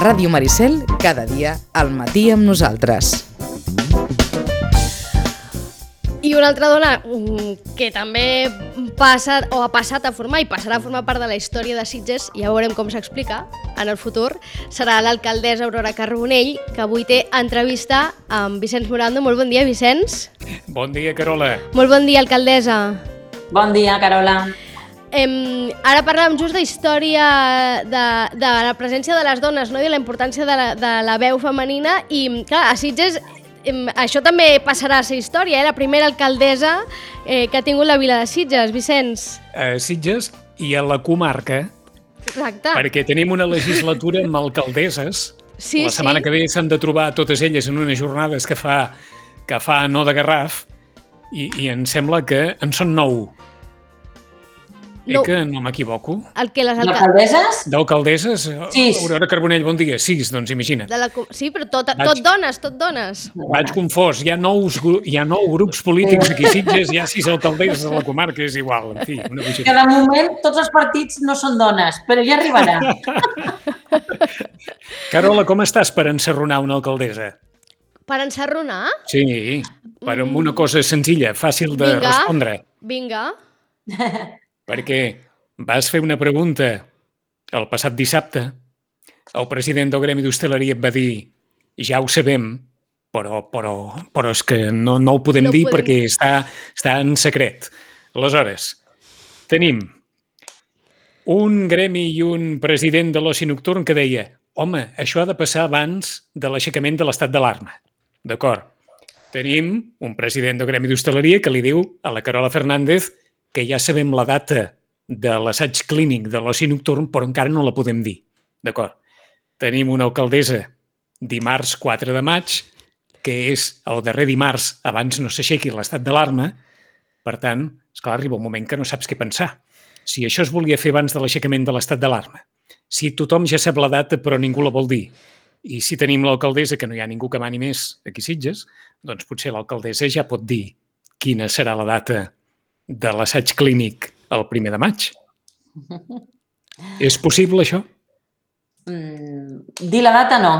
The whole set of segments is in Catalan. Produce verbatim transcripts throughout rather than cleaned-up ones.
Ràdio Maricel, cada dia al matí amb nosaltres. I una altra dona que també passa o ha passat a formar i passarà a formar part de la història de Sitges, ja veurem com s'explica en el futur, serà l'alcaldessa Aurora Carbonell, que avui té entrevista amb Vicenç Morando. Molt bon dia, Vicenç. Bon dia, Carola. Molt bon dia, alcaldessa. Bon dia, Carola. Eh, ara parlàvem just d'història de, de la presència de les dones, no? I de la importància de la, de la veu femenina i, clar, a Sitges això també passarà a ser història, eh? La primera alcaldessa eh, que ha tingut la vila de Sitges, Vicenç. A Sitges i a la comarca. Exacte. Perquè tenim una legislatura amb alcaldesses. Sí, la setmana sí. que ve s'han de trobar totes elles en unes jornades que fa, que fa no de Garraf i, i em sembla que en són nou. No. Eh que no m'equivoco? El que les alcal... Alcaldesses? D'alcaldesses? Sis. Aurora Carbonell, bon dia. Sis, doncs imagina't. De la... Sí, però tot, Vaig- tot dones, tot dones. Vaig confós. Hi ha, nous, gru- hi ha nou grups polítics aquí a Sitges, hi ha sis alcaldesses a la comarca, és igual. En fi, una Que bogeria. de moment tots els partits no són dones, però ja arribarà. Carola, com estàs per ensarronar una alcaldessa? Per ensarronar? Sí, per amb una cosa senzilla, fàcil de Vinga. respondre. Vinga. Perquè vas fer una pregunta el passat dissabte, el president del Gremi d'Hostaleria et va dir ja ho sabem, però, però, però és que no, no ho podem No dir podem. perquè està, està en secret. Aleshores, tenim un gremi i un president de l'oci nocturn que deia home, això ha de passar abans de l'aixecament de l'estat d'alarma. D'acord. Tenim un president del Gremi d'Hostaleria que li diu a la Carola Fernández que ja sabem la data de l'assaig clínic de l'oci nocturn, però encara no la podem dir. D'acord. Tenim una alcaldessa dimarts quatre de maig, que és el darrer dimarts abans no s'aixequi l'estat d'alarma. Per tant, esclar, arriba un moment que no saps què pensar. Si això es volia fer abans de l'aixecament de l'estat d'alarma, si tothom ja sap la data però ningú la vol dir, i si tenim l'alcaldessa que no hi ha ningú que mani més aquí a Sitges, doncs potser l'alcaldessa ja pot dir quina serà la data de l'assaig clínic el primer de maig. És possible, això? Mm, dir la data no.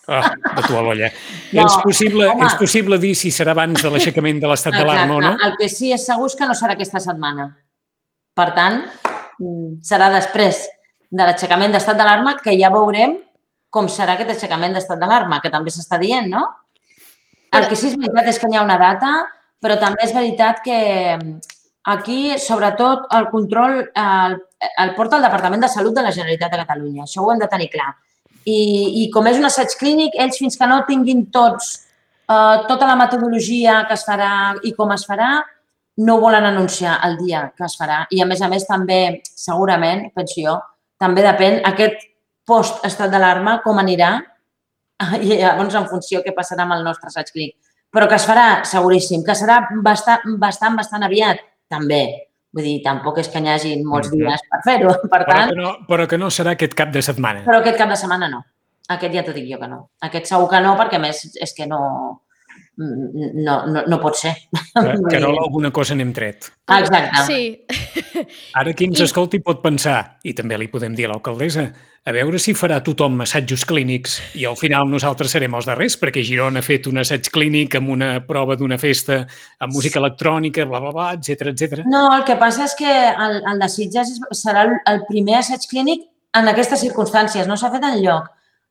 Ah, de tu a l'olla. No, és, possible, home. és possible dir si serà abans de l'aixecament de l'estat d'alarma o no? El que sí és segur és que no serà aquesta setmana. Per tant, mm, serà després de l'aixecament d'estat d'alarma que ja veurem com serà aquest aixecament d'estat d'alarma, que també s'està dient, no? El que sí és veritat és que hi ha una data, però també és veritat que aquí, sobretot, el control el, el porta el Departament de Salut de la Generalitat de Catalunya. Això ho hem de tenir clar. I, i com és un assaig clínic, ells fins que no tinguin tots eh, tota la metodologia que es farà i com es farà, no volen anunciar el dia que es farà. I, a més a més, també, segurament, penso jo, també depèn aquest post-estat d'alarma, com anirà, i llavors en funció què passarà amb el nostre assaig clínic. Però que es farà, seguríssim. Que serà bastant, bastant, bastant aviat, també. Vull dir, tampoc és que n'hi hagi molts dies per fer-ho. Per Però tant, que, no, però que no serà aquest cap de setmana. però aquest cap de setmana no. Aquest ja t'ho dic jo que no. Aquest segur que no, perquè a més és que no, no, no, no pot ser. Carola, alguna cosa n'hem tret. Ah, exacte. Sí. Ara qui ens I- escolti pot pensar, i també li podem dir a l'alcaldessa, a veure si farà tothom assajos clínics i al final nosaltres serem els darrers, perquè Girona ha fet un assaig clínic amb una prova d'una festa amb música electrònica, bla, bla, bla, etcètera, etcètera. No, el que passa és que el, el de Sitges és- serà el, el primer assaig clínic en aquestes circumstàncies. No s'ha fet enlloc,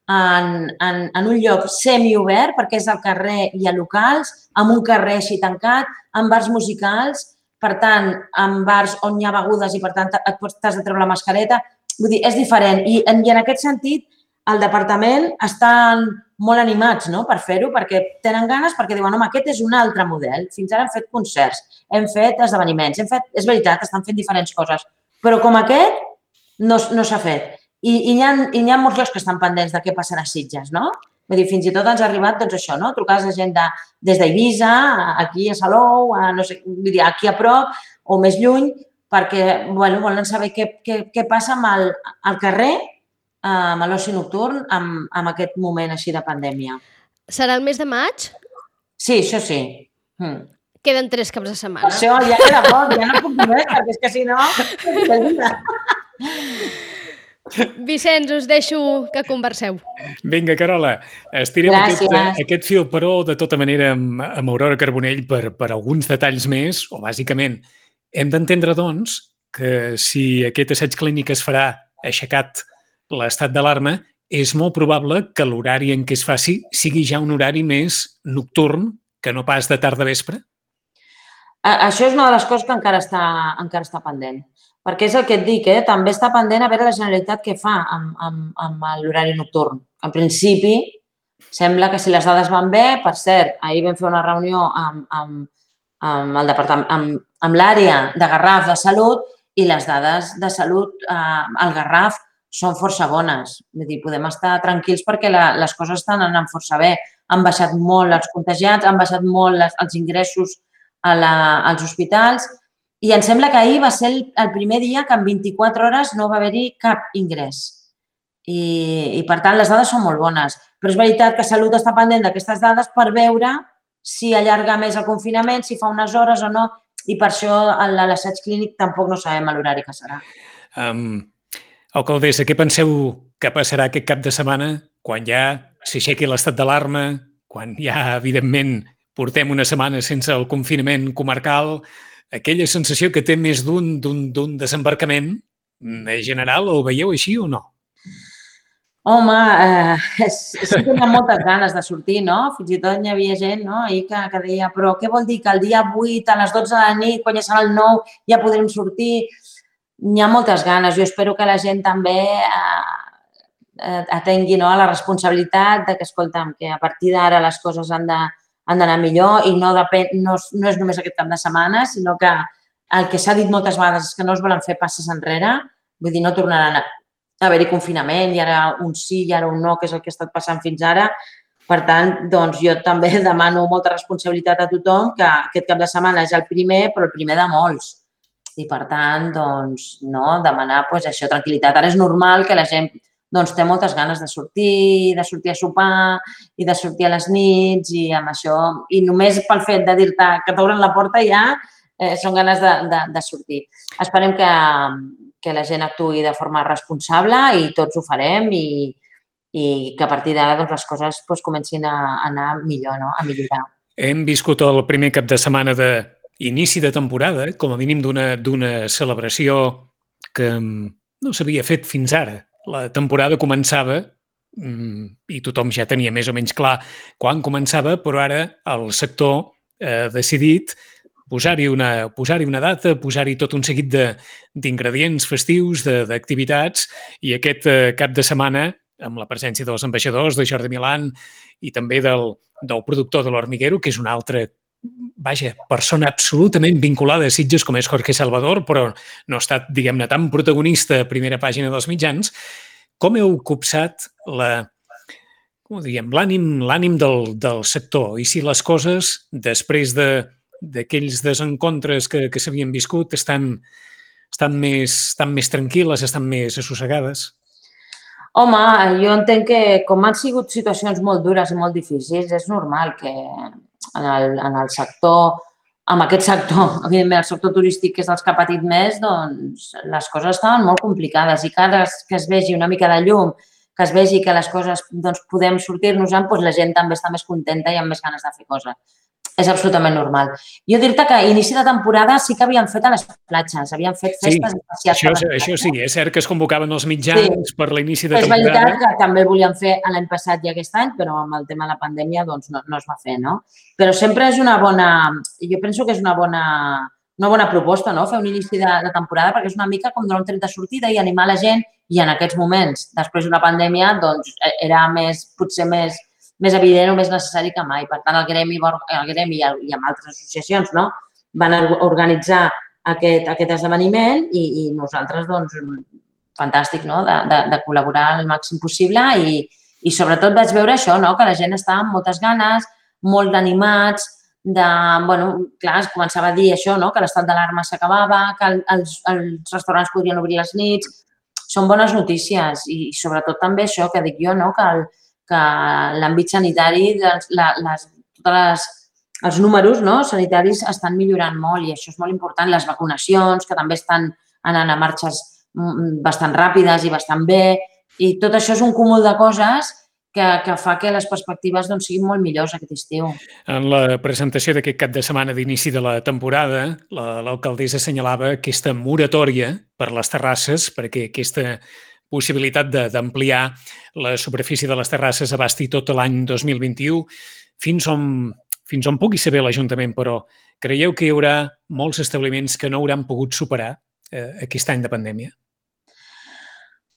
en, en, en un lloc semiobert, perquè és al carrer i a locals, amb un carrer així tancat, amb bars musicals, per tant, amb bars on hi ha begudes i, per tant, et pots t'has de treure la mascareta. Vull dir, és diferent. I, en, i en aquest sentit, el departament estan molt animats, no?, per fer-ho, perquè tenen ganes, perquè diuen, home, aquest és un altre model. Fins ara hem fet concerts, hem fet esdeveniments, hem fet... És veritat, estan fent diferents coses, però com aquest no, no s'ha fet. I, i, hi ha, I hi ha molts llocs que estan pendents de què passarà a Sitges, no? Vull dir, fins i tot ens ha arribat, doncs, això, no?, trucades de gent de, des d'Eivissa, aquí a Salou, a, no sé, vull dir, aquí a prop o més lluny, perquè, bueno, volen saber què, què, què passa amb el, al carrer, amb l'oci nocturn, amb, amb aquest moment així de pandèmia. Serà el mes de maig? Sí, això sí. Mm. Queden tres caps de setmana. Això ja queda poc, ja no puc dir més, perquè és que si no... Vicenç, us deixo que converseu. Vinga, Carola, estirem aquest, Gràcies. aquest fil, però de tota manera amb, amb Aurora Carbonell per, per alguns detalls més, o bàsicament hem d'entendre, doncs, que si aquest assaig clínic es farà aixecat l'estat d'alarma, és molt probable que l'horari en què es faci sigui ja un horari més nocturn que no pas de tarda vespre? A- Això és una de les coses que encara està, encara està pendent. Perquè és el que et dic, eh? També està pendent a veure la Generalitat què fa amb, amb, amb l'horari nocturn. En principi, sembla que si les dades van bé, per cert, ahir vam fer una reunió amb, amb, amb el departament, amb, amb l'àrea de Garraf de Salut i les dades de salut eh, al Garraf són força bones. Vull dir, podem estar tranquils perquè la, les coses estan anant força bé. Han baixat molt els contagiats, han baixat molt les, els ingressos a la, als hospitals i em sembla que ahir va ser el, el primer dia que en vint-i-quatre hores no va haver-hi cap ingrés. I, I, per tant, les dades són molt bones. Però és veritat que Salut està pendent d'aquestes dades per veure si allarga més el confinament, si fa unes hores o no, i per això l'assaig clínic tampoc no sabem l'horari que serà. Um, alcaldessa, què penseu que passarà aquest cap de setmana quan ja s'aixequi l'estat d'alarma, quan ja, evidentment, portem una setmana sense el confinament comarcal, aquella sensació que té més d'un d'un desembarcament general, ho veieu així o no? Home, eh, és, és que tenia moltes ganes de sortir, no? Fins i tot hi havia gent, no?, ahir que, que deia, però què vol dir que el dia vuit a les dotze de la nit, quan ja serà el nou, ja podrem sortir? N'hi ha moltes ganes. Jo espero que la gent també eh, atengui, no?, a la responsabilitat de que, escolta'm, que a partir d'ara les coses han de han d'anar millor i no, depèn, no, no és només aquest cap de setmana, sinó que el que s'ha dit moltes vegades és que no es volen fer passes enrere, vull dir, no tornaran a haver-hi confinament i ara un sí i ara un no, que és el que ha estat passant fins ara. Per tant, doncs jo també demano molta responsabilitat a tothom, que aquest cap de setmana és el primer, però el primer de molts. I per tant, doncs, no, demanar doncs, això, tranquil·litat. Ara és normal que la gent doncs té moltes ganes de sortir, de sortir a sopar i de sortir a les nits i amb això. I només pel fet de dir-te que t'obren la porta ja eh, són ganes de, de, de sortir. Esperem que, que la gent actuï de forma responsable i tots ho farem i, i que a partir d'ara doncs, les coses doncs, comencin a anar millor, no? A millorar. Hem viscut el primer cap de setmana d'inici de temporada, com a mínim d'una celebració que no s'havia fet fins ara. La temporada començava i tothom ja tenia més o menys clar quan començava, però ara el sector ha decidit posar-hi una, posar-hi una data, posar-hi tot un seguit d'ingredients festius, d'activitats, i aquest cap de setmana, amb la presència dels ambaixadors, de Jordi Milán i també del, del productor de l'Hormiguero, que és una altra vaja, persona absolutament vinculada a Sitges com és Jorge Salvador, però no ha estat, diguem-ne, tan protagonista a primera pàgina dels mitjans. Com heu copsat la, com ho diguem, l'ànim l'ànim del, del sector? I si les coses, després d'aquells de, desencontres que, que s'havien viscut, estan, estan, més, estan més tranquil·les, estan més assossegades? Home, jo entenc que com han sigut situacions molt dures i molt difícils, és normal que en el, en el sector, amb aquest sector, evidentment el sector turístic que és els que ha patit més, doncs les coses estaven molt complicades i cada que es vegi una mica de llum, que es vegi que les coses doncs, podem sortir-nos-en, doncs la gent també està més contenta i amb més ganes de fer coses. És absolutament normal. Jo dir-te que a inici de temporada sí que havien fet a les platges, havien fet festes sí, especials. Això, això sí, és cert que es convocaven els mitjans sí. per l'inici de és temporada. És veritat que també el volien fer l'any passat i aquest any, però amb el tema de la pandèmia doncs no, no es va fer, no? Però sempre és una bona... Jo penso que és una bona, una bona proposta, no?, fer un inici de, de temporada, perquè és una mica com donar un tret de sortida i animar la gent, i en aquests moments, després d'una pandèmia, doncs era més, potser més... més evident o més necessari que mai. Per tant, el Gremi, el Gremi i amb altres associacions no? van organitzar aquest, aquest esdeveniment i, i nosaltres, doncs, fantàstic, no? de, de, de col·laborar al màxim possible i, i sobretot vaig veure això, no? que la gent estava amb moltes ganes, molt animats, de, bueno, clar, es començava a dir això, no? que l'estat d'alarma s'acabava, que els, els restaurants podrien obrir les nits. Són bones notícies i sobretot també això que dic jo, no? que el que l'àmbit sanitari, les, les, tots les, els números no, sanitaris estan millorant molt i això és molt important. Les vacunacions, que també estan anant a marxes bastant ràpides i bastant bé, i tot això és un cúmul de coses que, que fa que les perspectives doncs, siguin molt millors aquest estiu. En la presentació d'aquest cap de setmana d'inici de la temporada, l'alcaldessa assenyalava aquesta moratòria per les terrasses, perquè aquesta possibilitat d'ampliar la superfície de les terrasses abasti tot l'any dos mil vint-i-u, fins on, fins on pugui saber l'Ajuntament, però creieu que hi haurà molts establiments que no hauran pogut superar eh, aquest any de pandèmia?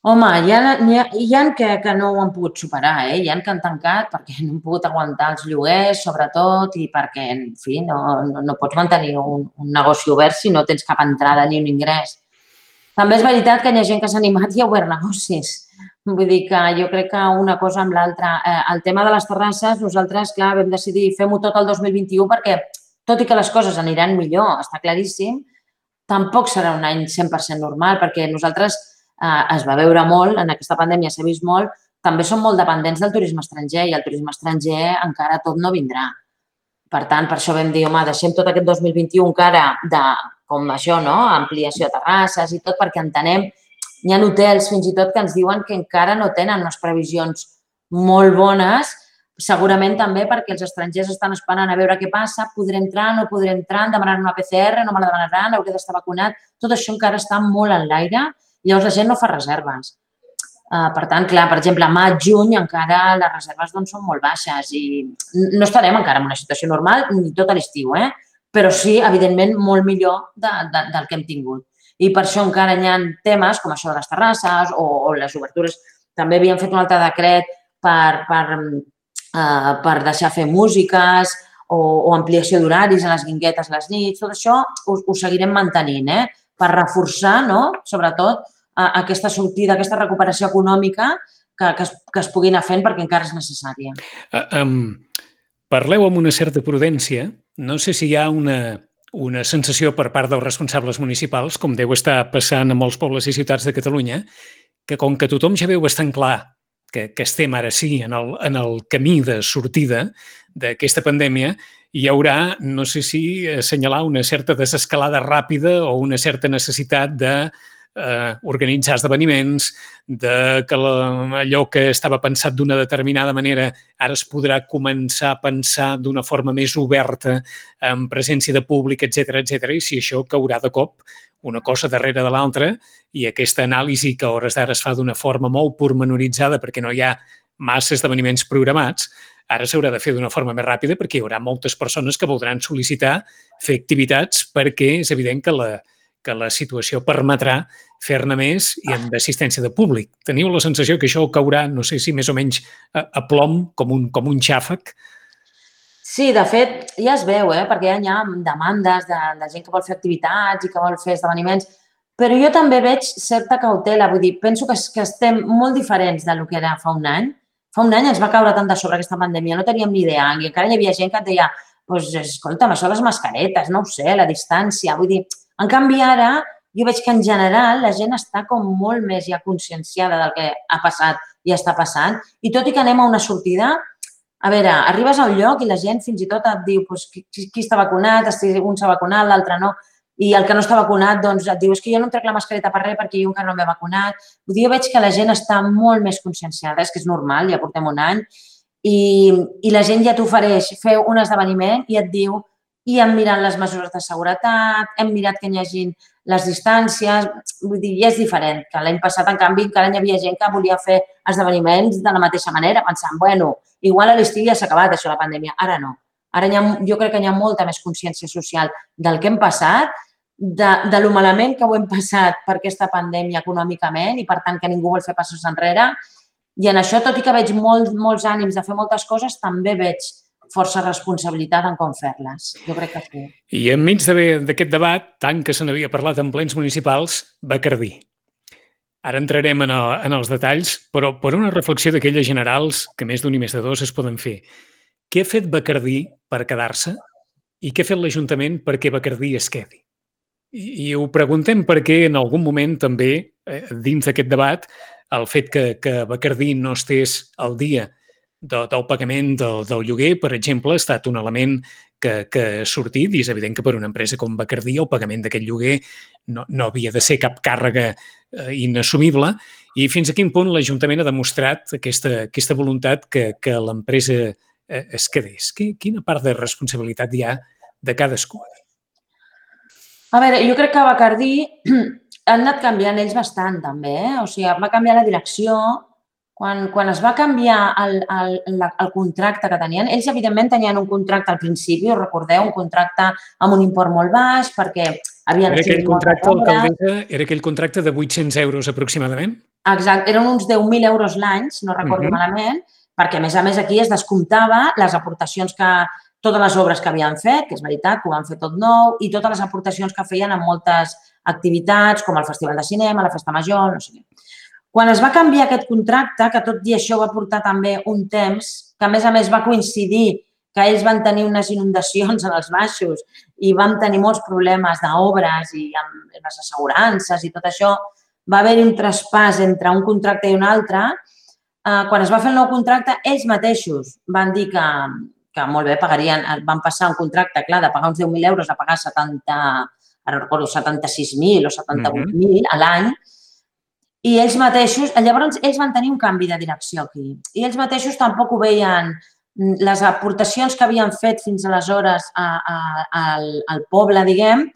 Home, hi ha, hi ha, hi ha que, que no ho han pogut superar, eh? Hi ha que han tancat perquè no han pogut aguantar els lloguers, sobretot, i perquè, en fi, no, no, no pots mantenir un, un negoci obert si no tens cap entrada ni un ingrés. També és veritat que hi ha gent que s'ha animat i ha obert negocis. Vull dir que jo crec que una cosa amb l'altra. Eh, el tema de les terrasses, nosaltres, clar, vam decidir fem-ho tot el dos mil vint-i-u perquè, tot i que les coses aniran millor, està claríssim, tampoc serà un any cent per cent normal, perquè nosaltres eh, es va veure molt, en aquesta pandèmia s'ha vist molt, també som molt dependents del turisme estranger i el turisme estranger encara tot no vindrà. Per tant, per això vam dir, home, deixem tot aquest dos mil vint-i-u encara de, com això, no?, ampliació de terrasses i tot, perquè entenem, hi ha hotels fins i tot que ens diuen que encara no tenen unes previsions molt bones, segurament també perquè els estrangers estan esperant a veure què passa, podré entrar, no podré entrar, em demanaran una P C R, no me la demanaran, hauré d'estar vacunat, tot això encara està molt en l'aire i llavors la gent no fa reserves. Uh, per tant, clar, per exemple, a maig, juny encara les reserves doncs, són molt baixes i no estarem encara en una situació normal ni tot l'estiu, eh? Però sí, evidentment, molt millor de, de, del que hem tingut. I per això encara hi ha temes com això de les terrasses o, o les obertures. També havíem fet un altre decret per, per, uh, per deixar fer músiques o, o ampliació d'horaris a les guinguetes a les nits. Tot això ho, ho seguirem mantenint, eh? Per reforçar, no?, sobretot, aquesta sortida, aquesta recuperació econòmica que, que, es, que es pugui anar fent perquè encara és necessària. Uh, um, parleu amb una certa prudència. No sé si hi ha una, una sensació per part dels responsables municipals, com deu estar passant a molts pobles i ciutats de Catalunya, que com que tothom ja veu bastant clar que, que estem ara sí en el, en el camí de sortida d'aquesta pandèmia, hi haurà, no sé si assenyalar una certa desescalada ràpida o una certa necessitat de Eh, organitzar esdeveniments, de que la, allò que estava pensat d'una determinada manera ara es podrà començar a pensar d'una forma més oberta, amb presència de públic, etcètera, etcètera, i si això caurà de cop una cosa darrere de l'altra i aquesta anàlisi que a hores d'ara es fa d'una forma molt pormenoritzada perquè no hi ha massa esdeveniments programats, ara s'haurà de fer d'una forma més ràpida perquè hi haurà moltes persones que voldran sol·licitar fer activitats perquè és evident que la que la situació permetrà fer-ne més i amb assistència de públic. Teniu la sensació que això caurà, no sé si més o menys a, a plom, com un, com un xàfec? Sí, de fet, ja es veu, eh? Perquè hi ha demandes de, de gent que vol fer activitats i que vol fer esdeveniments, però jo també veig certa cautela, vull dir, penso que, que estem molt diferents del que era fa un any. Fa un any ens va caure tant de sobre aquesta pandèmia, no teníem ni idea, i encara hi havia gent que et deia, doncs, escolta'm, això les mascaretes, no ho sé, la distància, vull dir. En canvi, ara, jo veig que en general la gent està com molt més ja conscienciada del que ha passat i està passant. I tot i que anem a una sortida, a veure, arribes a un lloc i la gent fins i tot et diu doncs, qui, qui està vacunat, un s'ha vacunat, l'altre no. I el que no està vacunat doncs, et diu és que jo no em trec la mascareta per res perquè jo encara no m'he vacunat. Vull dir, jo veig que la gent està molt més conscienciada, és que és normal, ja portem un any, i, i la gent ja t'ofereix fer un esdeveniment i et diu i hem mirat les mesures de seguretat, hem mirat que hi hagi les distàncies, vull dir, ja és diferent. Que l'any passat, en canvi, encara hi havia gent que volia fer esdeveniments de la mateixa manera, pensant, bueno, igual a l'estiu ja s'ha acabat això, la pandèmia. Ara no. Ara hi ha, jo crec que hi ha molta més consciència social del que hem passat, de, de lo malament que ho hem passat per aquesta pandèmia econòmicament i, per tant, que ningú vol fer passos enrere. I en això, tot i que veig molt, molts ànims de fer moltes coses, també veig força responsabilitat en com fer-les. Jo crec que sí. I enmig d'aquest debat, tant que se n'havia parlat en plens municipals, Bacardí. Ara entrarem en, el, en els detalls, però per una reflexió d'aquelles generals, que més d'un i més de dos es poden fer. Què ha fet Bacardí per quedar-se i què ha fet l'Ajuntament perquè Bacardí es quedi? I, i ho preguntem perquè en algun moment també, eh, dins d'aquest debat, el fet que, que Bacardí no estés al dia De, del pagament del, del lloguer, per exemple, ha estat un element que, que ha sortit i és evident que per una empresa com Bacardí el pagament d'aquest lloguer no, no havia de ser cap càrrega eh, inassumible i fins a quin punt l'Ajuntament ha demostrat aquesta, aquesta voluntat que, que l'empresa eh, es quedés. Quina part de responsabilitat hi ha de cadascú? A veure, jo crec que a Bacardí han anat canviant ells bastant, també. Eh? O sigui, va canviar la direcció. Quan, quan es va canviar el, el, el contracte que tenien, ells, evidentment, tenien un contracte al principi, us recordeu, un contracte amb un import molt baix, perquè havien... Era aquell contracte, alcaldessa, era aquell contracte de vuit-cents euros aproximadament? Exacte, eren uns deu mil euros l'any, si no recordo uh-huh. malament, perquè, a més a més, aquí es descomptava les aportacions que... totes les obres que havien fet, que és veritat, que ho van fer tot nou, i totes les aportacions que feien en moltes activitats, com el Festival de Cinema, la Festa Major, no sé què. Quan es va canviar aquest contracte, que tot i això va portar també un temps, que a més a més va coincidir que ells van tenir unes inundacions en els baixos i vam tenir molts problemes d'obres i amb les assegurances i tot això, va haver-hi un traspàs entre un contracte i un altre. Quan es va fer el nou contracte, ells mateixos van dir que, que molt bé, pagarien, van passar un contracte, clar, de pagar uns deu mil euros a pagar setanta, ara recordo, setanta-sis mil o setanta-vuit mil a l'any, i ells mateixos, llavors ells van tenir un canvi de direcció aquí, i ells mateixos tampoc ho veien, les aportacions que havien fet fins aleshores a, a, al, al poble, diguem,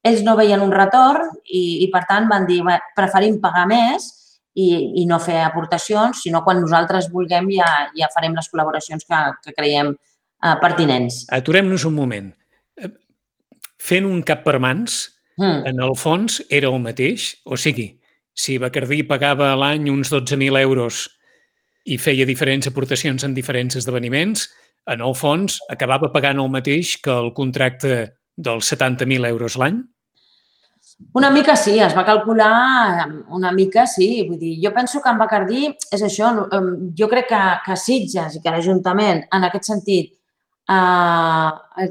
ells no veien un retorn i, i per tant van dir, preferim pagar més i, i no fer aportacions, sinó quan nosaltres vulguem ja, ja farem les col·laboracions que, que creiem eh, pertinents. Aturem-nos un moment. Fent un cap per mans, mm. en el fons era el mateix, o sigui, si Bacardí pagava a l'any uns dotze mil euros i feia diferents aportacions en diferents esdeveniments, en el fons acabava pagant el mateix que el contracte dels setanta mil euros l'any? Una mica sí, es va calcular una mica, sí. Vull dir, jo penso que en Bacardí és això. Jo crec que, que Sitges i que l'Ajuntament, en aquest sentit, eh,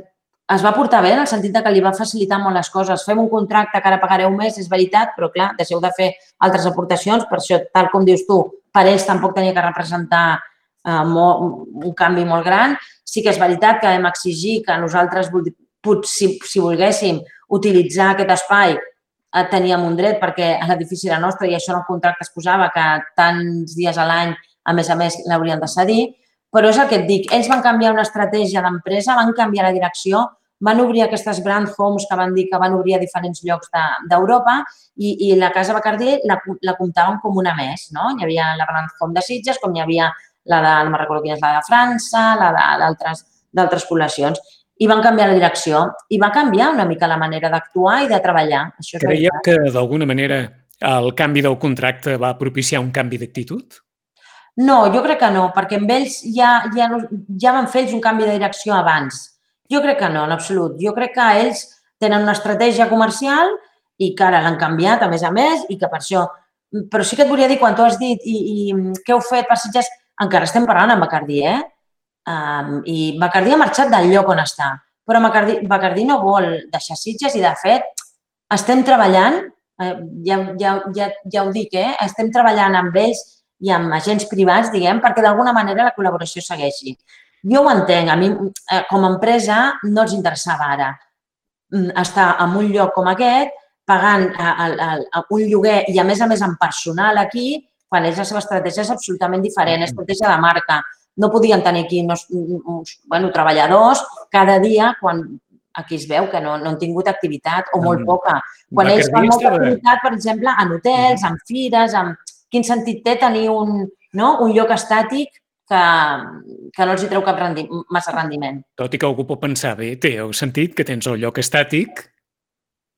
es va portar bé en el sentit que li va facilitar molt les coses. Fem un contracte que ara pagareu més, és veritat, però clar, deixeu de fer altres aportacions. Per això, tal com dius tu, per ells tampoc tenia que representar eh, molt, un canvi molt gran. Sí que és veritat que vam exigir que nosaltres, si, si volguéssim utilitzar aquest espai, eh, teníem un dret perquè l'edifici era nostre i això en el contracte es posava que tants dies a l'any, a més a més, l'haurien de cedir. Però és el que et dic, ells van canviar una estratègia d'empresa, van canviar la direcció, van obrir aquestes brand homes que van dir que van obrir a diferents llocs d'Europa i, i la Casa Bacardí la, la comptàvem com una més, no? Hi havia la brand home de Sitges, com hi havia la de, no me'n recordo quina és la de França, la d'altres poblacions. I van canviar la direcció i va canviar una mica la manera d'actuar i de treballar. Això Creieu que d'alguna manera el canvi del contracte va propiciar un canvi d'actitud? No, jo crec que no, perquè amb ells ja, ja, ja van fer ells un canvi de direcció abans. Jo crec que no, en absolut. Jo crec que ells tenen una estratègia comercial i que ara l'han canviat, a més a més, i que per això... Però sí que et volia dir, quan tu has dit i, i què heu fet per Sitges, encara estem parlant amb Bacardí, eh? Um, I Bacardí ha marxat del lloc on està, però Bacardí, Bacardí no vol deixar Sitges i, de fet, estem treballant, eh, ja, ja, ja, ja ho dic, eh? Estem treballant amb ells i amb agents privats, diguem, perquè d'alguna manera la col·laboració segueixi. Jo ho entenc, a mi com a empresa no els interessava ara estar en un lloc com aquest, pagant un lloguer i a més a més en personal aquí, quan ells la seva estratègia és absolutament diferent, és estratègia de marca. No podien tenir aquí uns, bueno, treballadors cada dia quan aquí es veu que no, no han tingut activitat o molt poca. Quan ells fan molta activitat, per exemple, en hotels, en fires, en... quin sentit té tenir un, no? un lloc estàtic que, que no els hi treu cap rendi, massa rendiment. Tot i que algú pot pensar, bé, té el sentit que tens el lloc estàtic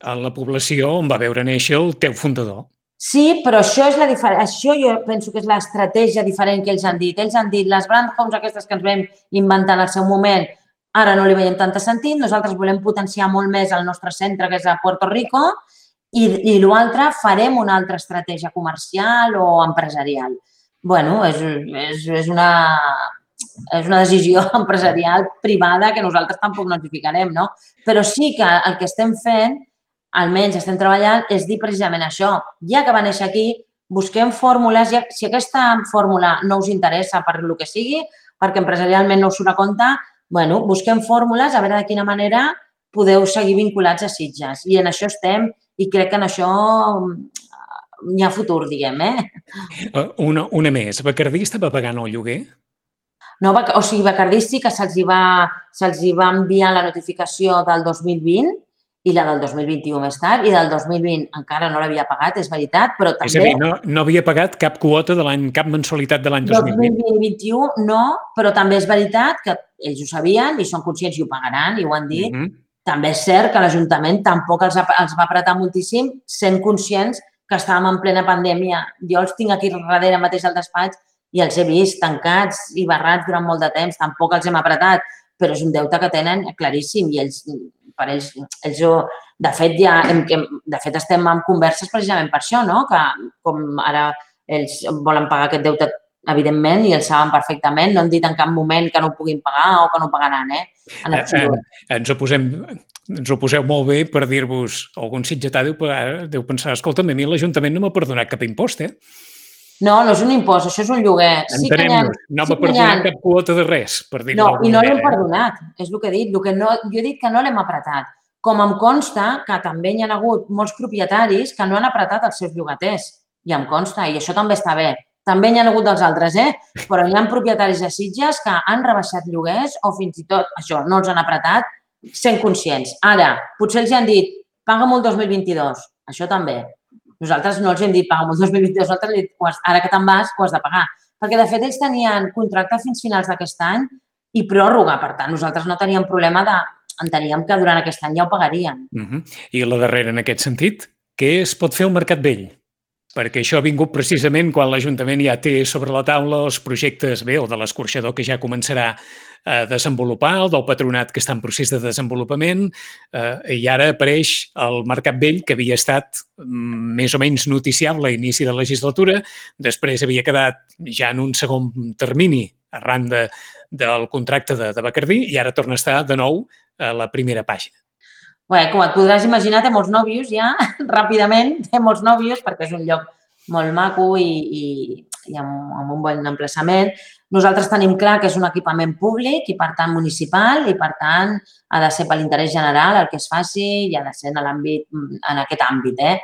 en la població on va veure néixer el teu fundador. Sí, però això és la diferència. Això jo penso que és l'estratègia diferent que ells han dit. Ells han dit, les brand homes aquestes que ens vam inventar en el seu moment, ara no li veiem tant sentit, nosaltres volem potenciar molt més el nostre centre, que és a Puerto Rico, i, i l'altre farem una altra estratègia comercial o empresarial. Bueno, és, és, és, una, és una decisió empresarial privada que nosaltres tampoc notificarem, no? Però sí que el que estem fent, almenys estem treballant, és dir precisament això. Ja que va néixer aquí, busquem fórmules. Ja, si aquesta fórmula no us interessa per el que sigui, perquè empresarialment no us surt a compte, bueno, busquem fórmules a veure de quina manera podeu seguir vinculats a Sitges. I en això estem i crec que en això hi ha futur, diguem, eh? Una, una més. Bacardí estava pagant el lloguer? No, o sigui, Bacardí sí que se'ls va, se'ls va enviar la notificació del dos mil vint i la del dos mil vint-i-u més tard, i del dos mil vint encara no l'havia pagat, és veritat, però també... És a dir, no, no havia pagat cap quota de l'any, cap mensualitat de l'any dos mil vint. dos mil vint-i-u no, però també és veritat que ells ho sabien i són conscients i ho pagaran i ho han dit. Mm-hmm. També és cert que l'Ajuntament tampoc els, els va apretar moltíssim, sent conscients que estàvem en plena pandèmia. Jo els tinc aquí darrere mateix al despatx i els he vist tancats i barrats durant molt de temps. Tampoc els hem apretat, però és un deute que tenen claríssim i ells, per ells, ells de fet, ja, de fet estem en converses precisament per això, no? Que com ara ells volen pagar aquest deute, evidentment, i ells saben perfectament, no han dit en cap moment que no ho puguin pagar o que no ho pagaran, eh? En absolut. Ens ho posem... Ens ho poseu molt bé per dir-vos, algun sitgetà deu, deu pensar, escolta'm, a mi l'Ajuntament no m'ha perdonat cap impost, eh? No, no és un impost, això és un lloguer. Entenem-nos, sí no m'ha sí perdonat cap quota de res, per dir-ho no, i no l'hem perdonat, és el que he dit. El que no, jo he dit que no l'hem apretat. Com em consta que també hi ha hagut molts propietaris que no han apretat els seus llogaters, i em consta, i això també està bé. També hi ha hagut dels altres, eh? Però hi ha propietaris de Sitges que han rebaixat lloguers o fins i tot, això, no els han apretat, sent conscients. Ara, potser els han dit, paga'm el dos mil vint-i-dos, això també. Nosaltres no els hem dit, paga'm el dos mil vint-i-dos, nosaltres hem dit, ara que te'n vas, ho has de pagar. Perquè, de fet, ells tenien contracte fins finals d'aquest any i pròrroga. Per tant, nosaltres no teníem problema de... Enteníem que durant aquest any ja ho pagarien. Uh-huh. I la darrera, en aquest sentit, què es pot fer al Mercat Vell? Perquè això ha vingut precisament quan l'Ajuntament ja té sobre la taula els projectes, bé, el de l'escorxador que ja començarà a desenvolupar, el del patronat que està en procés de desenvolupament, eh, i ara apareix el Mercat Vell, que havia estat més o menys noticiable a l'inici de la legislatura, després havia quedat ja en un segon termini arran de, del contracte de, de Bacardí i ara torna a estar de nou a la primera pàgina. Bé, com et podràs imaginar, té molts nòvios ja, ràpidament, té molts nòvios perquè és un lloc molt maco i, i, i amb, amb un bon emplaçament. Nosaltres tenim clar que és un equipament públic i, per tant, municipal i, per tant, ha de ser per l'interès general el que es faci i ha de ser en l'àmbit, en aquest àmbit, eh?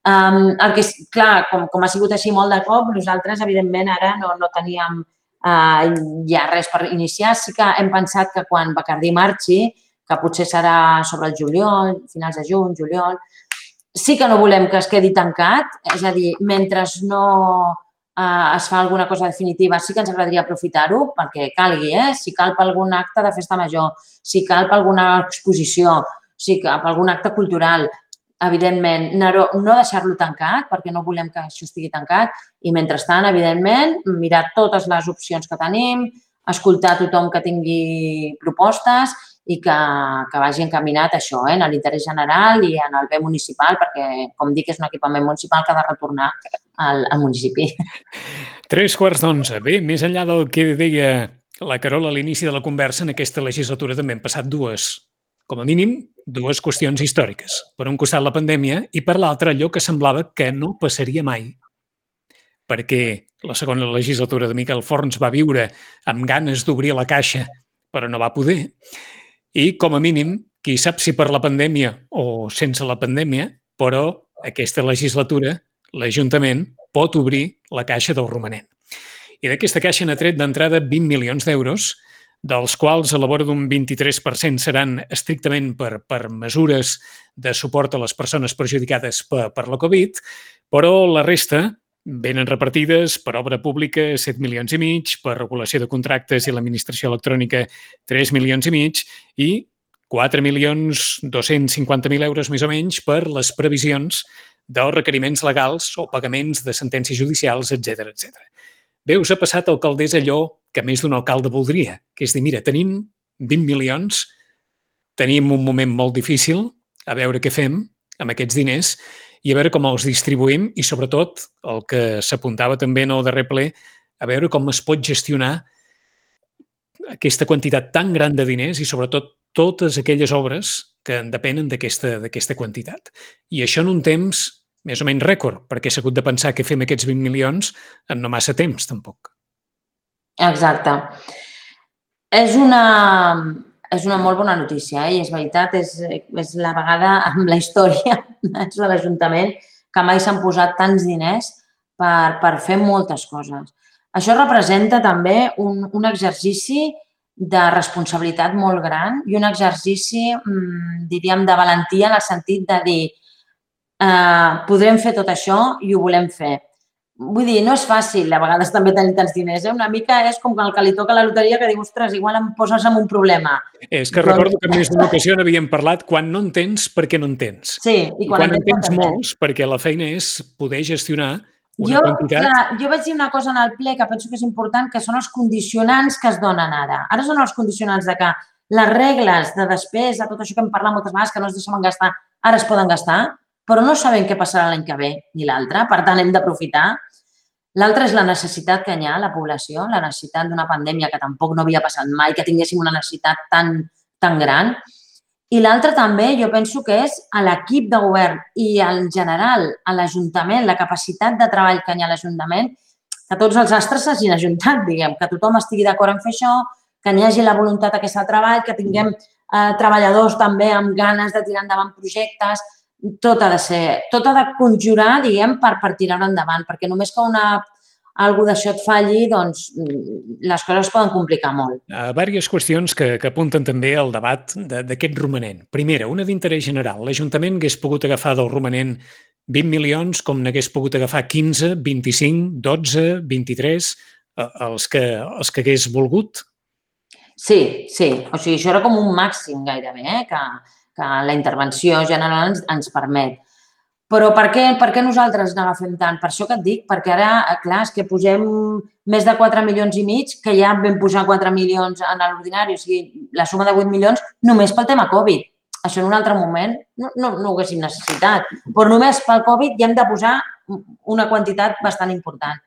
Um, el que és, clar, com, com ha sigut així molt de cop, nosaltres, evidentment, ara no, no teníem uh, ja res per iniciar. Sí que hem pensat que quan Bacardí marxi, que potser serà sobre el juliol, finals de juny, juliol. Sí que no volem que es quedi tancat, és a dir, mentre no eh, es fa alguna cosa definitiva, sí que ens agradaria aprofitar-ho perquè calgui, eh? Si cal per algun acte de festa major, si cal per alguna exposició, si cal per algun acte cultural, evidentment, no, no deixar-lo tancat perquè no volem que això estigui tancat i, mentrestant, evidentment, mirar totes les opcions que tenim, escoltar tothom que tingui propostes i que, que vagi encaminat a això, eh, en l'interès general i en el bé municipal, perquè, com dic, és un equipament municipal que ha de retornar al, al municipi. Tres quarts d'onze. Bé, més enllà del que deia la Carola a l'inici de la conversa, en aquesta legislatura també han passat dues, com a mínim, dues qüestions històriques. Per un costat la pandèmia i per l'altre allò que semblava que no passaria mai. Perquè la segona legislatura de Miquel Forns va viure amb ganes d'obrir la caixa, però no va poder. I, com a mínim, qui sap si per la pandèmia o sense la pandèmia, però aquesta legislatura, l'Ajuntament pot obrir la caixa del romanent. I d'aquesta caixa n'ha tret d'entrada vint milions d'euros, dels quals a la vora d'un vint-i-tres per cent seran estrictament per, per mesures de suport a les persones perjudicades per, per la Covid, però la resta venen repartides per obra pública set milions i mig, per regulació de contractes i l'administració electrònica tres milions i mig i quatre milions dos-cents cinquanta mil euros més o menys per les previsions dels requeriments legals o pagaments de sentències judicials, etcètera, etcètera. Bé, us ha passat, alcaldessa, allò que més d'un alcalde voldria, que és dir, mira, tenim vint milions, tenim un moment molt difícil, a veure què fem amb aquests diners i a veure com els distribuïm i, sobretot, el que s'apuntava també en el darrer ple, a veure com es pot gestionar aquesta quantitat tan gran de diners i, sobretot, totes aquelles obres que en depenen d'aquesta d'aquesta quantitat. I això en un temps més o menys rècord, perquè s'ha hagut de pensar què fem aquests vint milions en no massa temps, tampoc. Exacte. És una, és una molt bona notícia, eh? I és veritat, és, és la vegada amb la història de l'Ajuntament que mai s'han posat tants diners per, per fer moltes coses. Això representa també un, un exercici de responsabilitat molt gran i un exercici, diríem, de valentia en el sentit de dir eh, podrem fer tot això i ho volem fer. Vull dir, no és fàcil a vegades també tenir tants diners. Eh? Una mica és com el que li toca la loteria que diu, ostres, igual em poses en un problema. És que recordo que en més d'una ocasió n'havíem parlat quan no en tens, perquè no en tens. Sí, i quan, I quan en tens molts, perquè la feina és poder gestionar una jo, quantitat... Clar, jo vaig dir una cosa en el ple que penso que és important, que són els condicionants que es donen ara. Ara són els condicionants de que les regles de despesa, tot això que hem parlat moltes vegades, que no es deixen gastar, ara es poden gastar, però no sabem què passarà l'any que ve ni l'altre, per tant hem d'aprofitar. L'altre és la necessitat que hi ha a la població, la necessitat d'una pandèmia que tampoc no havia passat mai, que tinguéssim una necessitat tan, tan gran. I l'altre també jo penso que és a l'equip de govern i en general a l'Ajuntament, la capacitat de treball que hi ha a l'Ajuntament, que tots els astres s'hagin ajuntat, diguem, que tothom estigui d'acord en fer això, que n'hi hagi la voluntat aquesta de treball, que tinguem eh, treballadors també amb ganes de tirar endavant projectes. Tot ha de ser, tot ha de conjurar, diguem, per, per tirar endavant, perquè només que una, algú d'això et falli, doncs les coses es poden complicar molt. Hi ha diverses qüestions que, que apunten també al debat d'aquest romanent. Primera, una d'interès general. L'Ajuntament hagués pogut agafar del romanent vint milions com n'hagués pogut agafar quinze, vint-i-cinc, dotze, vint-i-tres, els que, els que hagués volgut? Sí, sí. O sigui, això era com un màxim gairebé, eh? que, que la intervenció general ens, ens permet. Però per què, per què nosaltres n'agafem tant? Per això que et dic, perquè ara, clar, és que posem més de quatre milions i mig, que ja vam posar quatre milions en l'ordinari, o sigui, la suma de vuit milions només pel tema Covid. Això en un altre moment no, no, no ho haguéssim necessitat, però només pel Covid ja hem de posar una quantitat bastant important.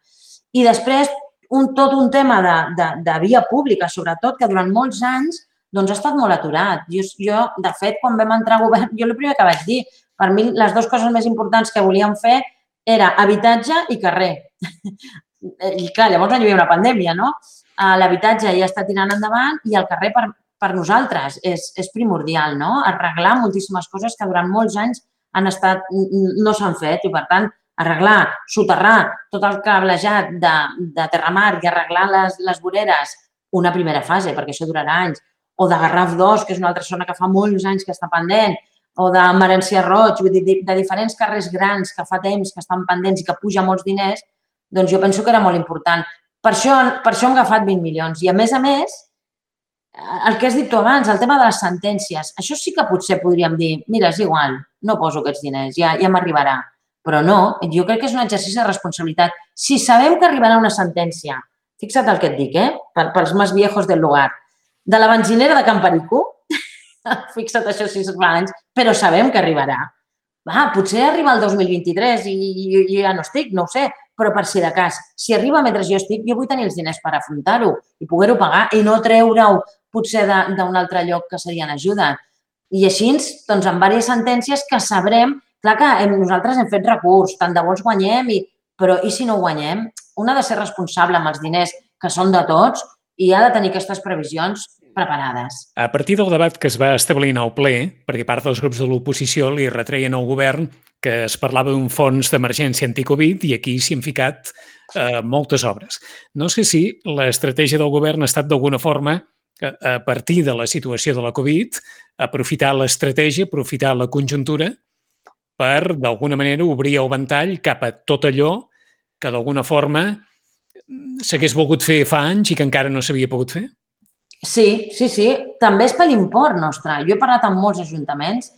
I després, un, tot un tema de, de, de via pública, sobretot, que durant molts anys doncs, ha estat molt aturat. Jo, jo, de fet, quan vam entrar a govern, jo el primer que vaig dir, per mi, les dues coses més importants que volíem fer era habitatge i carrer. I clar, llavors hi havia una pandèmia, no? L'habitatge ja està tirant endavant i el carrer per, per nosaltres és, és primordial, no? Arreglar moltíssimes coses que durant molts anys han estat, no s'han fet i, per tant, arreglar, soterrar tot el cablejat de, de Terramar i arreglar les, les voreres, una primera fase, perquè això durarà anys, o de Garraf dos, que és una altra zona que fa molts anys que està pendent, o de Marencià Roig, vull dir, de diferents carrers grans que fa temps que estan pendents i que puja molts diners, doncs jo penso que era molt important. Per això, per això hem agafat vint milions. I, a més a més, el que has dit tu abans, el tema de les sentències, això sí que potser podríem dir, mira, és igual, no poso aquests diners, ja, ja m'arribarà. Però no, jo crec que és un exercici de responsabilitat. Si sabem que arribarà una sentència, fixa't el que et dic, eh? Pels més viejos del lugar, de la benzinera de Can Perico, fixa't això si es fa anys, però sabem que arribarà. Va, potser arriba el dos mil vint-i-tres i, i, i ja no estic, no ho sé, però per si de cas, si arriba mentre jo estic, jo vull tenir els diners per afrontar-ho i poder-ho pagar i no treure-ho potser d'un altre lloc que serien ajuda. I així, doncs, amb diverses sentències que sabrem, clar que hem, nosaltres hem fet recurs, tant de bo els guanyem, i, però i si no guanyem? Un ha de ser responsable amb els diners que són de tots i ha de tenir aquestes previsions preparades. A partir del debat que es va establir en el ple, perquè part dels grups de l'oposició li retreien al govern que es parlava d'un fons d'emergència anticovid i aquí s'hi han ficat eh, moltes obres. No sé si l'estratègia del govern ha estat d'alguna forma, a partir de la situació de la Covid, aprofitar l'estratègia, aprofitar la conjuntura per, d'alguna manera, obrir el ventall cap a tot allò que, d'alguna forma, s'hagués volgut fer fa anys i que encara no s'havia pogut fer? Sí, sí, sí. També és per l'import nostre. Jo he parlat amb molts ajuntaments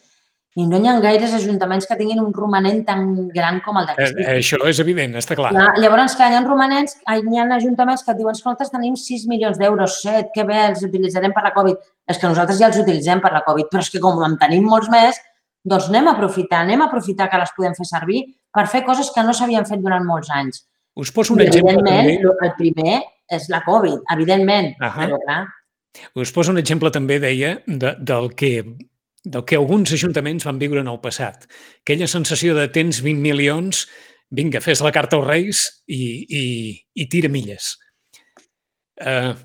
i no hi ha gaires ajuntaments que tinguin un romanent tan gran com el d'aquest. Eh, això és evident, està clar. clar. Llavors, clar, hi ha romanents, hi ha ajuntaments que et diuen, escolta, tenim sis milions d'euros, set, que bé, els utilitzarem per la Covid. És que nosaltres ja els utilitzem per la Covid, però és que com en tenim molts més, doncs anem a aprofitar, anem a aprofitar que les podem fer servir per fer coses que no s'havien fet durant molts anys. Us poso un I, exemple també. El primer és la Covid, evidentment, uh-huh. però clar. Us poso un exemple també, deia, de, del, que, del que alguns ajuntaments van viure en el passat. Aquella sensació de tens vint milions, vinga, fes la carta als Reis i, i, i tira milles. Uh,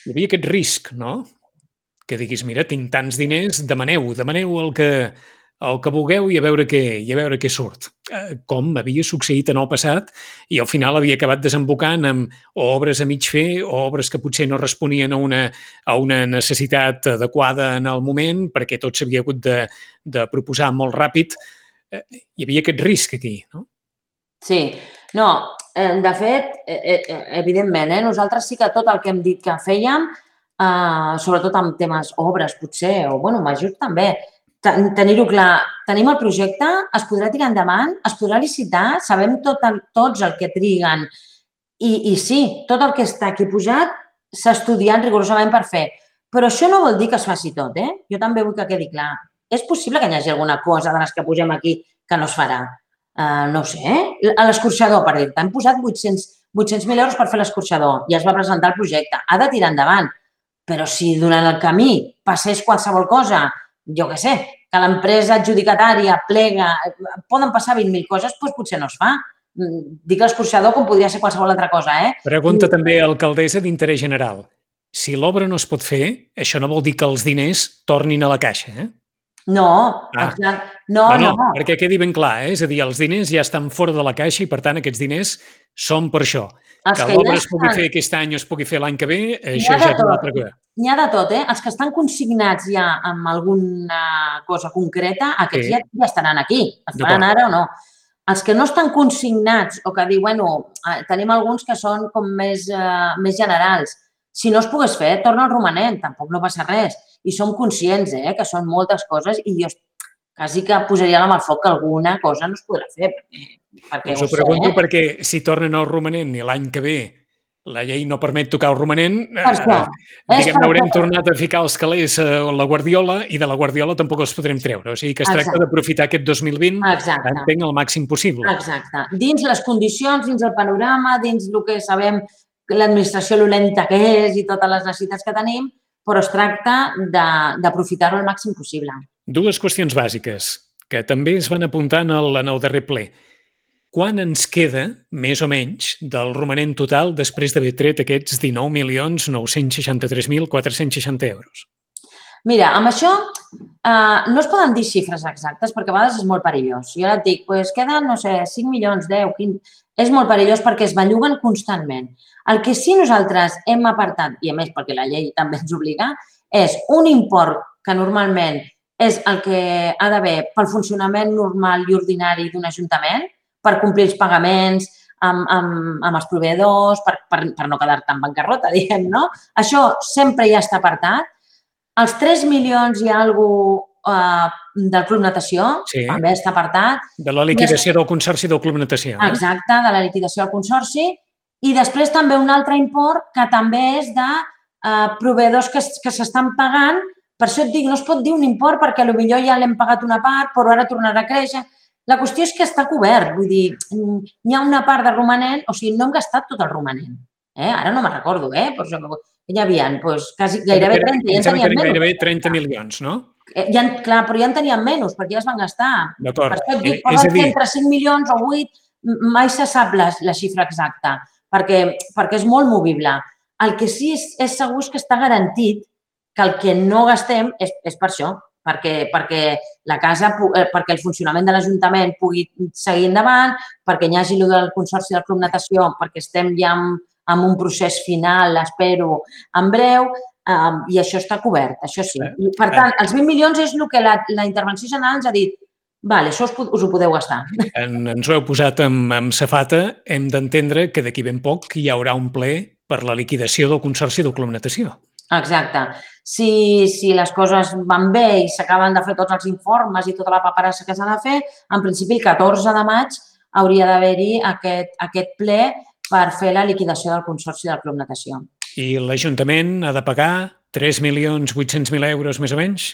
hi havia aquest risc, no? Que diguis, mira, tinc tants diners, demaneu, demaneu el que, el que vulgueu i a veure què, i a veure què surt. Eh, com havia succeït en el passat i al final havia acabat desembocant amb o obres a mig fer o obres que potser no responien a una, a una necessitat adequada en el moment perquè tot s'havia hagut de, de proposar molt ràpid. Eh, hi havia aquest risc aquí, no? Sí. No, eh, de fet, eh, eh, evidentment, eh, nosaltres sí que tot el que hem dit que fèiem, eh, sobretot amb temes obres potser, o bueno, majors també, tenir-ho clar, tenim el projecte, es podrà tirar endavant, es podrà licitar, sabem tot el, tots el que triguen i, i sí, tot el que està aquí posat s'ha estudiat rigorosament per fer. Però això no vol dir que es faci tot, eh? Jo també vull que quedi clar. És possible que hi hagi alguna cosa de les que posem aquí que no es farà. Uh, no ho sé, eh? A l'escorxador, per dir-te, hem posat vuit-cents mil euros per fer l'escorxador i es va presentar el projecte. Ha de tirar endavant. Però si durant el camí passés qualsevol cosa, jo què sé, que l'empresa adjudicatària plega, poden passar vint mil coses, doncs potser no es fa. Dic l'escorxador com podria ser qualsevol altra cosa, eh? Pregunta també a l'alcaldessa d'interès general. Si l'obra no es pot fer, això no vol dir que els diners tornin a la caixa, eh? No, ah. no, no, no. Perquè quedi ben clar, eh? És a dir, els diners ja estan fora de la caixa i, per tant, aquests diners són per això. Els que l'obra es pugui fer aquest any o es pugui fer l'any que ve, això ja és una altra cosa. N'hi ha de tot, eh? Els que estan consignats ja amb alguna cosa concreta, aquests sí. ja, ja estaran aquí. Es faran ara o no. Els que no estan consignats o que diuen, bueno, tenim alguns que són com més, uh, més generals. Si no es pogués fer, torna al romanent, tampoc no passa res. I som conscients, eh, que són moltes coses i jo quasi que posaria la mà al foc que alguna cosa no es podrà fer. Perquè us ho pregunto eh? perquè si tornen al romanent i l'any que ve la llei no permet tocar el romanent, eh, diguem, haurem tornat a ficar els calés a la guardiola i de la guardiola tampoc els podrem treure. O sigui que es tracta d'aprofitar aquest dos mil vint, entenc, el màxim possible. Exacte. Dins les condicions, dins el panorama, dins el que sabem l'administració lo lenta que és i totes les necessitats que tenim, però es tracta d'aprofitar-ho al màxim possible. Dues qüestions bàsiques que també es van apuntar en el, en el darrer ple. Quan ens queda, més o menys, del romanent total després d'haver tret aquests dinou milions nou-cents seixanta-tres mil quatre-cents seixanta euros? Mira, amb això eh, no es poden dir xifres exactes perquè a vegades és molt perillós. Jo ara et dic, doncs queden, no sé, cinc milions, deu, quinze... És molt perillós perquè es belluguen constantment. El que sí nosaltres hem apartat, i a més perquè la llei també ens obliga, és un import que normalment és el que ha d'haver pel funcionament normal i ordinari d'un ajuntament, per complir els pagaments amb, amb, amb els proveïdors, per, per, per no quedar-te en bancarrota, diguem, no? Això sempre ja està apartat. Els tres milions i alguna cosa uh, del Club Natació sí. també està apartat. De la liquidació del Consorci del Club Natació. Eh? Exacte, de la liquidació del Consorci. I després també un altre import que també és de uh, proveïdors que, que s'estan pagant. Per això et dic, no es pot dir un import perquè potser ja l'hem pagat una part, però ara tornarà a créixer. La qüestió és que està cobert, vull dir, hi ha una part de romanent, o sigui, no hem gastat tot el romanent. Eh? Ara no me'n recordo, eh? Però hi havia doncs, quasi, gairebé trenta, ja en teníem menys. Gairebé trenta milions, no? Ja, clar, però ja en teníem menys, perquè ja es van gastar. D'acord. Per això et dic, poden ser entre cinc milions o vuit, mai se sap la, la xifra exacta, perquè, perquè és molt movible. El que sí és, és segur és que està garantit que el que no gastem és, és per això, perquè, perquè la casa, perquè el funcionament de l'Ajuntament pugui seguir endavant, perquè hi hagi el del Consorci del Club Natació, perquè estem ja en, en un procés final, espero, en breu, um, i això està cobert, això sí. I, per tant, els vint milions és el que la, la intervenció general ens ha dit, vale, això us, us ho podeu gastar. En, ens ho heu posat amb, amb safata, hem d'entendre que d'aquí ben poc hi haurà un ple per la liquidació del Consorci del Club Natació. Exacte. Si, si les coses van bé i s'acaben de fer tots els informes i tota la paperassa que s'ha de fer, en principi el catorze de maig hauria d'haver-hi aquest, aquest ple per fer la liquidació del Consorci del Club Natació. I l'Ajuntament ha de pagar tres milions vuit-cents mil euros més o menys?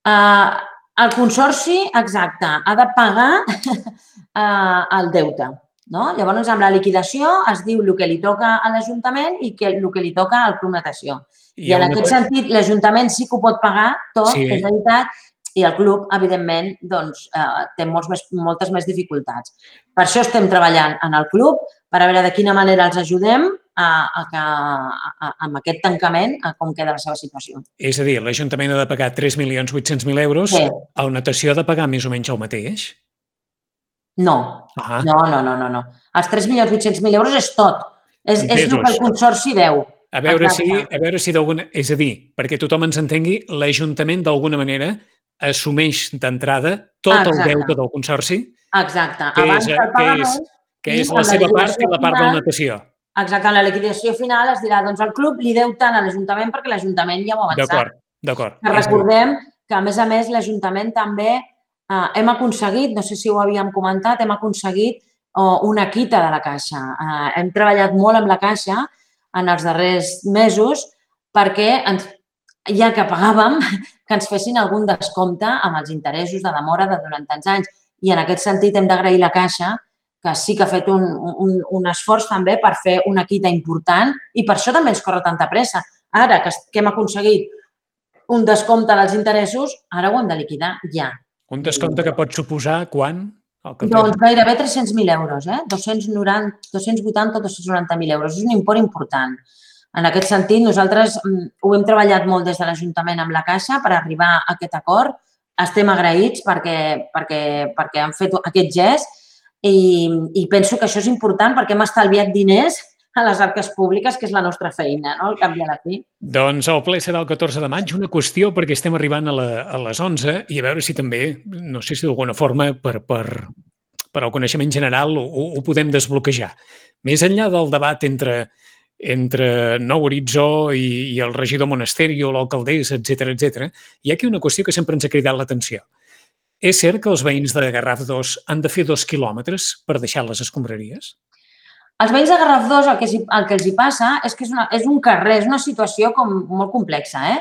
Uh, el Consorci, exacte, ha de pagar uh, el deute. No? Llavors, amb la liquidació es diu el que li toca a l'Ajuntament i que, el que li toca al Club Natació. I, I en aquest cosa... sentit, l'Ajuntament sí que ho pot pagar tot, sí. És veritat, i el club, evidentment, doncs, eh, té molts més, moltes més dificultats. Per això estem treballant en el club, per a veure de quina manera els ajudem a, a que a, a, amb aquest tancament a com queda la seva situació. És a dir, l'Ajuntament ha de pagar tres milions vuit-cents mil euros, Sí. el Natació ha de pagar més o menys el mateix? No, Ah. no, no, no, no, no. Els tres milions vuit-cents mil euros és tot. És, és el que el Consorci deu. A veure si, Exacte. a veure si d'alguna... És a dir, perquè tothom ens entengui, l'Ajuntament d'alguna manera assumeix d'entrada tot el Exacte. deute del Consorci, Exacte. que Abans és, del que pagament, és, que i és amb la la seva part liquidació i la part de la final- natació. exacte, en la liquidació final es dirà, doncs el club li deu tant a l'Ajuntament perquè l'Ajuntament ja ho ha avançat. D'acord, d'acord. Que És a dir, recordem que, a més a més, l'Ajuntament també eh, hem aconseguit, no sé si ho havíem comentat, hem aconseguit oh, una quita de la Caixa. Eh, hem treballat molt amb la Caixa en els darrers mesos perquè, ens, ja que pagàvem, que ens fessin algun descompte amb els interessos de demora de durant tants anys. I en aquest sentit hem d'agrair la Caixa, que sí que ha fet un, un, un esforç també per fer una quita important i per això també ens corre tanta pressa. Ara que, que hem aconseguit un descompte dels interessos, ara ho hem de liquidar ja. un descompte que pot suposar quan? El que Doncs gairebé tres-cents mil euros, eh? dos-cents noranta, dos-cents vuitanta o dos-cents noranta mil euros. És un import important. En aquest sentit, nosaltres mm, ho hem treballat molt des de l'Ajuntament amb la Caixa per arribar a aquest acord. Estem agraïts perquè, perquè, perquè han fet aquest gest i, i penso que això és important perquè hem estalviat diners a les arques públiques, que és la nostra feina, no? Al cap i a la fi. Doncs el ple serà el catorze de maig. Una qüestió, perquè estem arribant a, la, a les onze i a veure si també, no sé si d'alguna forma, per, per, per al coneixement general ho, ho podem desbloquejar. Més enllà del debat entre, entre Nou Horitzó i, i el regidor Monasterio, l'alcaldessa, etcètera, etcètera, hi ha aquí una qüestió que sempre ens ha cridat l'atenció. És cert que els veïns de Garraf dos han de fer dos quilòmetres per deixar les escombraries? Els veïns de Garraf dos, el que, el que els hi passa és que és, una, és un carrer, és una situació com molt complexa. Eh?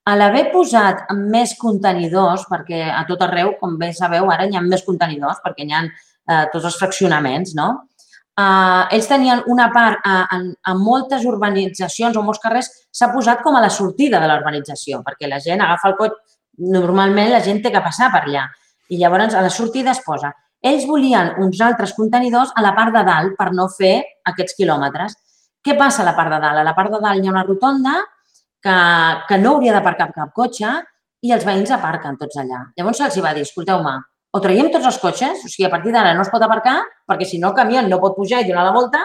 A l'haver posat més contenidors, perquè a tot arreu, com bé sabeu, ara hi ha més contenidors, perquè hi ha eh, tots els fraccionaments, no? Eh, ells tenien una part, eh, en, en moltes urbanitzacions o molts carrers, s'ha posat com a la sortida de la urbanització, perquè la gent agafa el cotxe, normalment la gent té que passar per allà, i llavors a la sortida es posa. Ells volien uns altres contenidors a la part de dalt per no fer aquests quilòmetres. Què passa a la part de dalt? A la part de dalt hi ha una rotonda que, que no hauria d'aparcar cap cotxe i els veïns aparquen tots allà. Llavors se'ls va dir, escolteu-me, o traiem tots els cotxes, o sigui, a partir d'ara no es pot aparcar perquè si no el camió no pot pujar i donar la volta,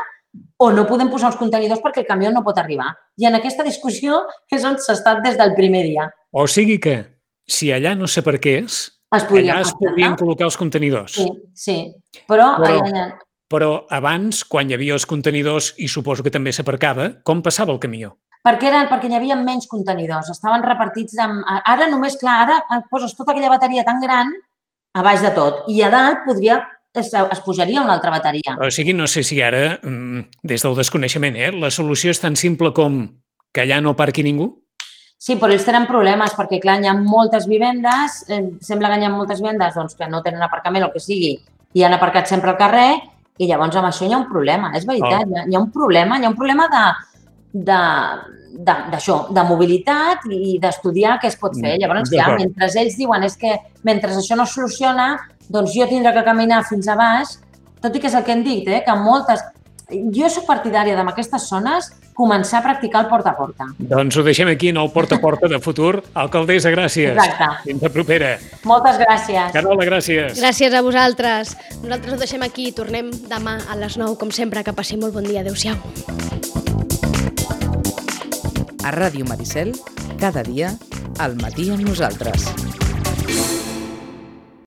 o no podem posar els contenidors perquè el camió no pot arribar. I en aquesta discussió és on s'ha estat des del primer dia. O sigui que, si allà no s'aparqués, Es podria allà es podrien col·locar els contenidors. Sí, sí. Però, Però- allà, Però abans, quan hi havia els contenidors, i suposo que també s'aparcava, com passava el camió? perquè, eren, perquè hi havia menys contenidors, estaven repartits amb... Ara només, clar, ara poses tota aquella bateria tan gran a baix de tot i a dalt podria, es, es pujaria una altra bateria. O sigui, no sé si ara, mm, des del desconeixement, eh, la solució és tan simple com que allà no parqui ningú? Sí, però ells tenen problemes perquè, clar, hi ha moltes vivendes, eh, sembla que hi ha moltes vivendes doncs, que no tenen aparcament o el que sigui i han aparcat sempre al carrer i llavors amb això hi ha un problema, és veritat, Oh. hi, ha, hi ha un problema, hi ha un problema de, de, de, d'això, de mobilitat i d'estudiar què es pot fer. Llavors, clar, D'acord. mentre ells diuen és que mentre això no es soluciona, doncs jo tindré que caminar fins a baix, tot i que és el que hem dit, eh, que moltes... Jo soc partidària d'en aquestes zones començar a practicar el porta a porta. Doncs ho deixem aquí en el porta a porta de futur. Alcaldessa, gràcies. Exacte. Fins la propera. Moltes gràcies. Carola, gràcies. Gràcies a vosaltres. Nosaltres ho deixem aquí i tornem demà a les nou, com sempre. Que passi molt bon dia. Adéu-siau. A Ràdio Maricel, cada dia, al matí amb nosaltres.